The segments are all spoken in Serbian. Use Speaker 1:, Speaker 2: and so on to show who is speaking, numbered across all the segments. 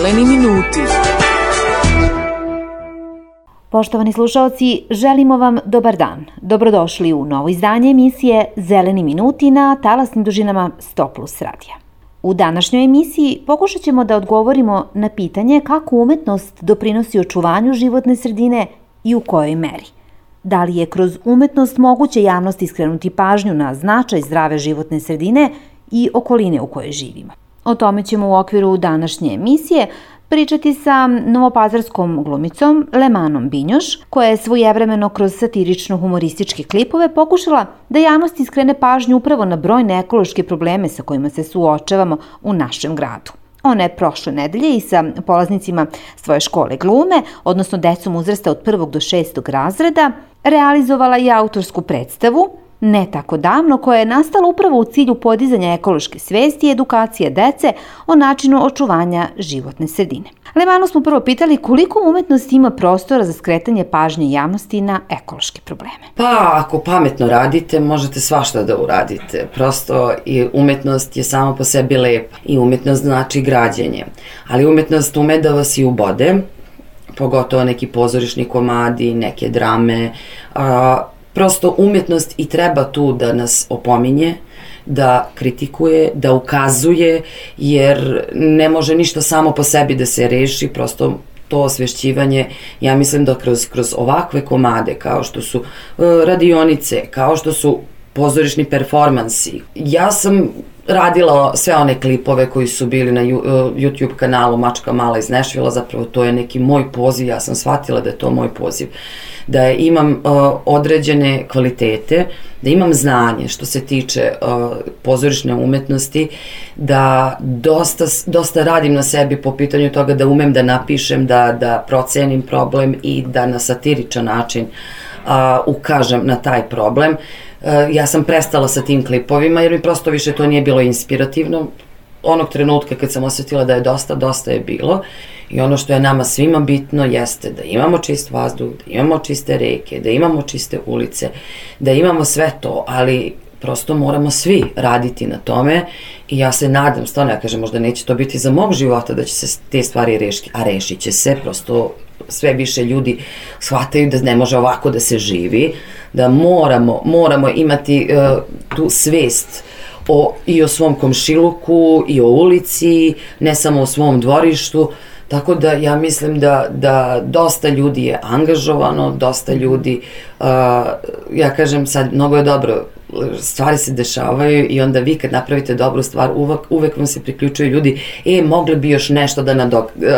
Speaker 1: Zeleni minuti.
Speaker 2: Poštovani slušaoci, želimo vam dobar dan. Dobrodošli u novo izdanje emisije Zeleni minuti na talasnim dužinama 100+ radija. U današnjoj emisiji pokušat ćemo da odgovorimo na pitanje kako umetnost doprinosi očuvanju životne sredine i u kojoj meri. Da li je kroz umetnost moguće javnosti skrenuti pažnju na značaj zdrave životne sredine i okoline u kojoj živimo? O tome ćemo u okviru današnje emisije pričati sa novopazarskom glumicom Lemanom Binjoš, koja je svojevremeno kroz satirično-humorističke klipove pokušala da javnosti skrene pažnju upravo na brojne ekološke probleme sa kojima se suočavamo u našem gradu. Ona je prošle nedelje i sa polaznicima svoje škole glume, odnosno decom uzrasta od 1. do 6. razreda, realizovala i autorsku predstavu ne tako davno, koja je nastala upravo u cilju podizanja ekološke svesti i edukacije dece o načinu očuvanja životne sredine. Lemanu smo prvo pitali koliko umetnost ima prostora za skretanje pažnje javnosti na ekološke probleme.
Speaker 3: Pa, ako pametno radite, možete svašta da uradite. Prosto i umetnost je samo po sebi lepa i umetnost znači građenje. Ali umetnost ume da vas i ubode, pogotovo neki pozorišni komadi, neke drame. Prosto umetnost i treba tu da nas opominje, da kritikuje, da ukazuje, jer ne može ništa samo po sebi da se reši, prosto to osvešćivanje, ja mislim da kroz ovakve komade, kao što su radionice, kao što su pozorišni performansi. Ja sam radila sve one klipove koji su bili na YouTube kanalu Mačka mala iz Nešvila, zapravo to je neki moj poziv, ja sam shvatila da je to moj poziv, da imam određene kvalitete, da imam znanje što se tiče pozorišne umetnosti, da dosta radim na sebi po pitanju toga da umem da napišem, da procenim problem i da na satiričan način ukažem na taj problem. Ja sam prestala sa tim klipovima jer mi prosto više to nije bilo inspirativno. Onog trenutka kad sam osjetila da je dosta je bilo. I ono što je nama svima bitno jeste da imamo čist vazduh, da imamo čiste reke, da imamo čiste ulice, da imamo sve to, ali prosto moramo svi raditi na tome i ja se nadam, stvarno ja kažem, možda neće to biti za mog života da će se te stvari rešiti, a rešit će se, prosto sve više ljudi shvataju da ne može ovako da se živi, da moramo imati tu svest i o svom komšiluku i o ulici, ne samo o svom dvorištu, tako da ja mislim da dosta ljudi je angažovano, dosta ljudi, ja kažem sad, mnogo je dobro, stvari se dešavaju i onda vi kad napravite dobru stvar, uvek vam se priključuju ljudi, mogli bi još nešto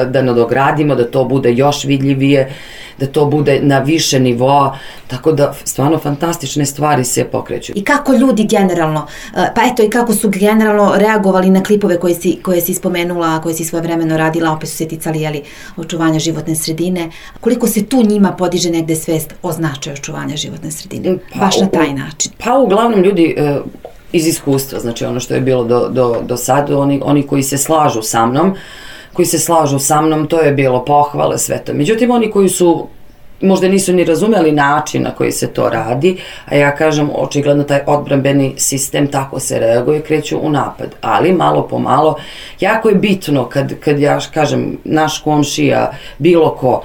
Speaker 3: da nadogradimo, da to bude još vidljivije, da to bude na više nivoa, tako da stvarno fantastične stvari se pokreću.
Speaker 4: I kako ljudi generalno, pa eto i kako su generalno reagovali na klipove koje si spomenula, koje si svojevremeno radila, opet su se ticali očuvanja životne sredine, koliko se tu njima podiže negde svest o značaju očuvanja životne sredine, baš na taj način?
Speaker 3: Pa uglavnom ljudi iz iskustva, znači ono što je bilo do sada, oni koji se slažu sa mnom, to je bilo pohvale, sve to. Međutim, oni koji su možda nisu ni razumeli način na koji se to radi, a ja kažem, očigledno taj odbrambeni sistem tako se reaguje, kreću u napad, ali malo po malo, jako je bitno kad ja kažem, naš komšija, bilo ko,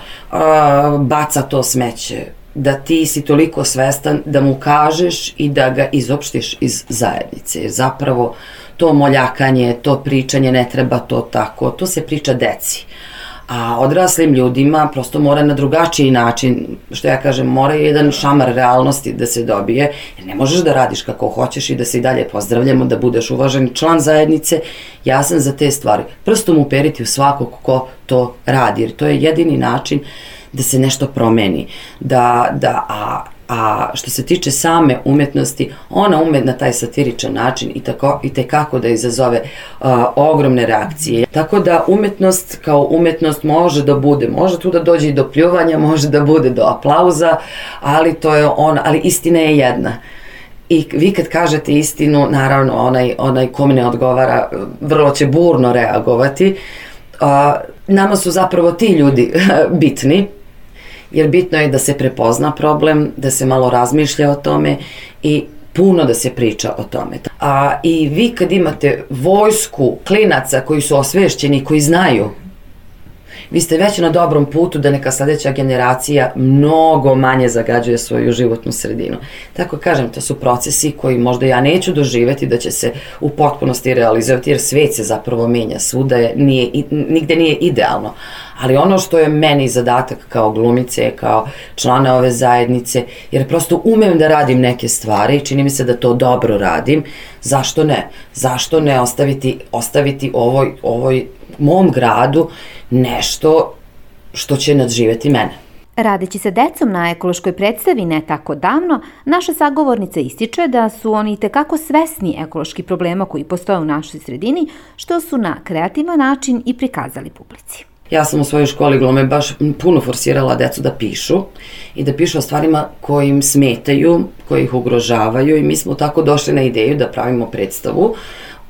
Speaker 3: baca to smeće, da ti si toliko svestan da mu kažeš i da ga izopštiš iz zajednice. Zapravo to moljakanje, to pričanje ne treba to tako, to se priča deci. A odraslim ljudima prosto mora na drugačiji način, što ja kažem, mora jedan šamar realnosti da se dobije, jer ne možeš da radiš kako hoćeš i da se i dalje pozdravljamo, da budeš uvaženi član zajednice. Ja sam za te stvari. Prstom uperiti u svakog ko to radi, jer to je jedini način da se nešto promeni. A što se tiče same umetnosti, ona ume na taj satiričan način i tekako da izazove ogromne reakcije. Tako da umetnost kao umetnost može tu da dođe i do pljuvanja, može da bude do aplauza, ali ali istina je jedna. I vi kad kažete istinu, naravno onaj kome ne odgovara vrlo će burno reagovati. Nama su zapravo ti ljudi bitni, jer bitno je da se prepozna problem, da se malo razmišlja o tome i puno da se priča o tome. I vi kad imate vojsku klinaca koji su osvešćeni, koji znaju vi ste već na dobrom putu da neka sledeća generacija mnogo manje zagađuje svoju životnu sredinu. Tako kažem, to su procesi koji možda ja neću doživeti da će se u potpunosti realizovati, jer svet se zapravo menja, svuda nigde nije idealno. Ali ono što je meni zadatak kao glumice, kao člana ove zajednice, jer prosto umem da radim neke stvari i čini mi se da to dobro radim, zašto ne? Zašto ne ostaviti ovoj mom gradu nešto što će nadživeti mene?
Speaker 2: Radeći sa decom na ekološkoj predstavi ne tako davno, naša sagovornica ističe da su oni itekako svesni ekoloških problema koji postoje u našoj sredini, što su na kreativan način i prikazali publici.
Speaker 3: Ja sam u svojoj školi glume baš puno forsirala decu da pišu i da pišu o stvarima koji im smetaju, koji ih ugrožavaju, i mi smo tako došli na ideju da pravimo predstavu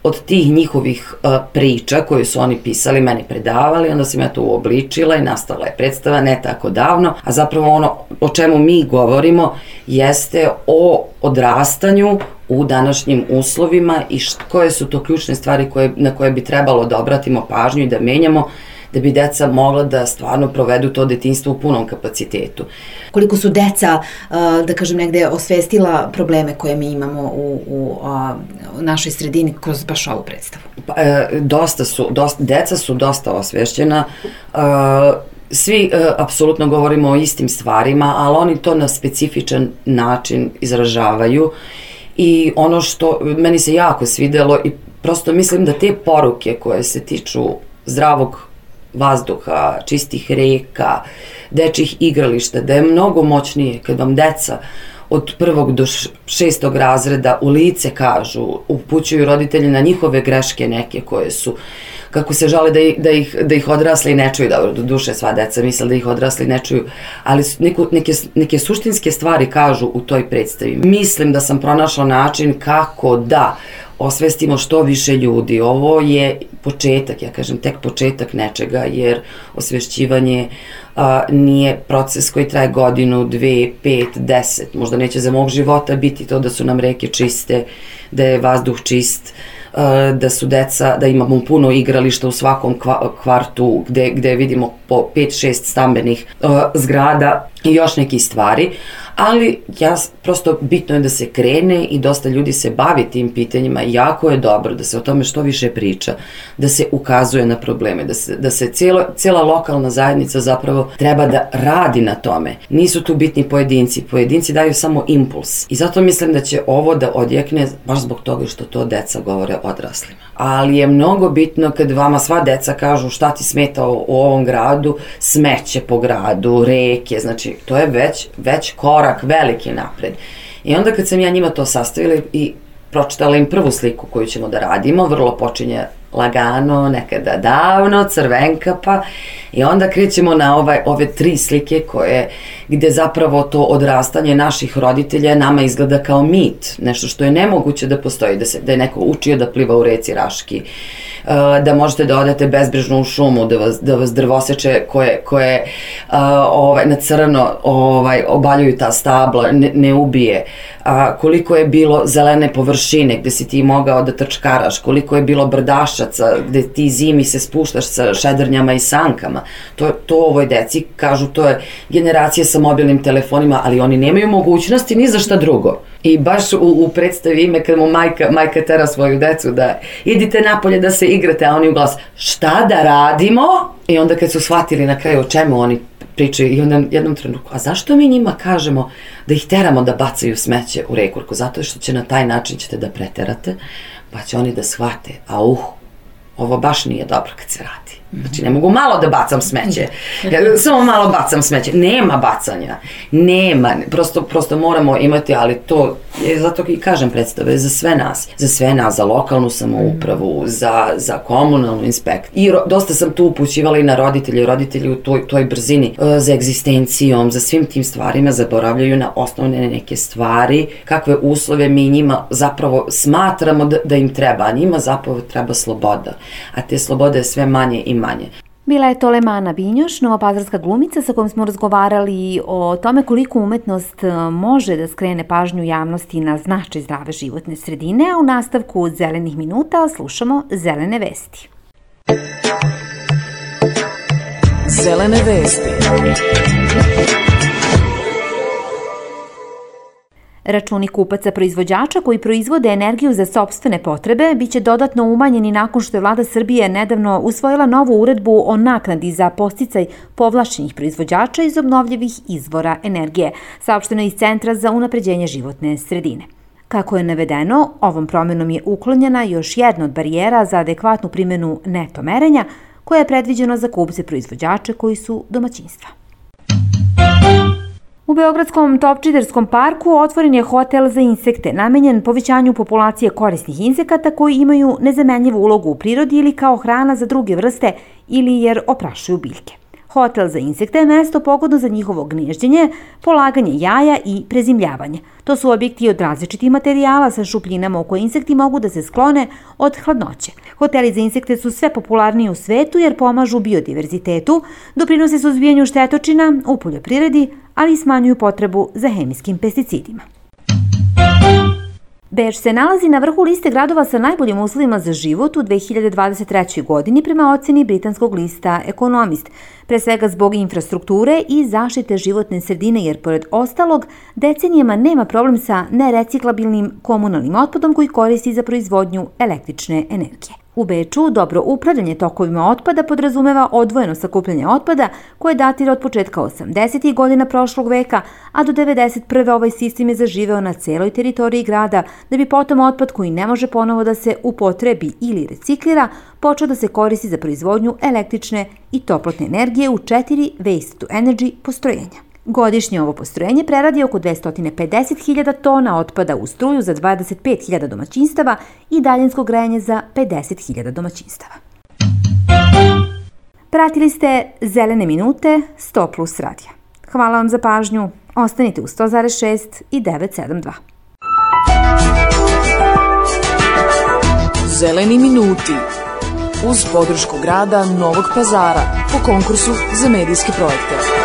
Speaker 3: od tih njihovih priča koje su oni pisali, meni predavali, onda sam ja to uobličila i nastala je predstava ne tako davno, a zapravo ono o čemu mi govorimo jeste o odrastanju u današnjim uslovima i koje su to ključne stvari na koje bi trebalo da obratimo pažnju i da menjamo, da bi deca mogla da stvarno provedu to detinjstvo u punom kapacitetu.
Speaker 4: Koliko su deca, da kažem, negde osvestila probleme koje mi imamo u našoj sredini kroz baš ovu predstavu?
Speaker 3: Deca su dosta osvešćena, svi apsolutno govorimo o istim stvarima, ali oni to na specifičan način izražavaju, i ono što meni se jako svidelo, i prosto mislim da te poruke koje se tiču zdravog vazduha, čistih reka, dečjih igrališta, da je mnogo moćnije kad vam deca od 1. do 6. razreda u lice kažu, upućuju roditelji na njihove greške neke koje su, kako se žale da ih odrasli ne čuju, do duše sva deca misle da ih odrasli ne čuju, ali neke suštinske stvari kažu u toj predstavi. Mislim da sam pronašla način kako da osvestimo što više ljudi. Ovo je početak, ja kažem tek početak nečega, jer osvešćivanje nije proces koji traje godinu, 2, 5, 10, možda neće za mog života biti to da su nam reke čiste, da je vazduh čist, da su deca, da imamo puno igrališta u svakom kvartu gde vidimo po 5-6 stambenih zgrada i još neki stvari, ali prosto bitno je da se krene i dosta ljudi se bavi tim pitanjima i jako je dobro da se o tome što više priča, da se ukazuje na probleme, da se cijela lokalna zajednica zapravo treba da radi na tome. Nisu tu bitni pojedinci daju samo impuls i zato mislim da će ovo da odjekne baš zbog toga što to deca govore odraslima. Ali je mnogo bitno kad vama sva deca kažu šta ti smeta u ovom gradu, smeće po gradu, reke, znači to je već korak veliki napred. I onda kad sam ja njima to sastavila i pročitala im prvu sliku koju ćemo da radimo, vrlo počinje lagano, nekada davno, crvenkapa, i onda krećemo na ove 3 slike gde zapravo to odrastanje naših roditelja nama izgleda kao mit, nešto što je nemoguće da postoji, da je neko učio da pliva u reci Raški, da možete da odete bezbrižno u šumu, da vas drvoseče koje na crno obaljuju ta stabla, ne ubije, koliko je bilo zelene površine gde si ti mogao da trčkaraš, koliko je bilo brdašaca gde ti zimi se spuštaš sa šedrnjama i sankama. To ovoj deci kažu, to je generacija sa mobilnim telefonima, ali oni nemaju mogućnosti ni za šta drugo. I baš u predstavi ime kad mu majka tera svoju decu da idite napolje da se igrate, a oni u glas šta da radimo? I onda kad su shvatili na kraju o čemu oni pričaju, i onda jednom trenutku, a zašto mi njima kažemo da ih teramo da bacaju smeće u reku? Zato što će na taj način ćete da preterate, pa će oni da shvate, ovo baš nije dobro kad se radi. Znači, ne mogu malo da bacam smeće. Samo malo bacam smeće. Nema bacanja. Nema. Prosto moramo imati, ali to je zato i kažem predstave za sve nas. Za sve nas, za lokalnu samoupravu, za komunalnu inspekciju. I dosta sam tu upućivala i na roditelji u toj brzini za egzistencijom, za svim tim stvarima zaboravljaju na osnovne neke stvari, kakve uslove mi njima zapravo smatramo da im treba, a njima zapravo treba sloboda. A te slobode je sve manje i manje.
Speaker 2: Bila je to Lemana Binjoš, novopazarska glumica sa kojom smo razgovarali o tome koliko umetnost može da skrene pažnju javnosti na značaj zdrave životne sredine, a u nastavku Zelenih minuta slušamo Zelene vesti.
Speaker 1: Zelene vesti.
Speaker 2: Računi kupaca proizvođača koji proizvode energiju za sopstvene potrebe biće dodatno umanjeni nakon što je vlada Srbije nedavno usvojila novu uredbu o naknadi za podsticaj povlašćenih proizvođača iz obnovljivih izvora energije, saopšteno iz Centra za unapređenje životne sredine. Kako je navedeno, ovom promjenom je uklonjena još jedna od barijera za adekvatnu primjenu neto merenja, koja je predviđeno za kupce proizvođače koji su domaćinstva. U Beogradskom Topčiderskom parku otvoren je hotel za insekte, namenjen povećanju populacije korisnih insekata koji imaju nezamenljivu ulogu u prirodi ili kao hrana za druge vrste ili jer oprašuju biljke. Hotel za insekte je mesto pogodno za njihovo gnježđenje, polaganje jaja i prezimljavanje. To su objekti od različitih materijala sa šupljinama u koje insekti mogu da se sklone od hladnoće. Hoteli za insekte su sve popularniji u svetu jer pomažu biodiverzitetu, doprinose suzbijanju štetočina u poljoprivredi, ali i smanjuju potrebu za hemijskim pesticidima. Beč se nalazi na vrhu liste gradova sa najboljim uslovima za život u 2023. godini prema oceni britanskog lista Economist, pre svega zbog infrastrukture i zaštite životne sredine, jer pored ostalog decenijama nema problem sa nereciklabilnim komunalnim otpadom koji koristi za proizvodnju električne energije. U Beču dobro upravljanje tokovima otpada podrazumeva odvojeno sakupljanje otpada koje datira od početka 80. godina prošlog veka, a do 91. ovaj sistem je zaživeo na celoj teritoriji grada, da bi potom otpad koji ne može ponovo da se upotrebi ili reciklira počeo da se koristi za proizvodnju električne i toplotne energije u 4 waste-to-energy postrojenja. Godišnje ovo postrojenje preradi oko 250.000 tona otpada u struju za 25.000 domaćinstava i daljinsko grejanje za 50.000 domaćinstava. Pratili ste Zelene minute 100+ radija. Hvala vam za pažnju. Ostanite u 100,6 i 972.
Speaker 1: Zeleni minuti uz podršku grada Novog Pazara po konkursu za medijske projekte.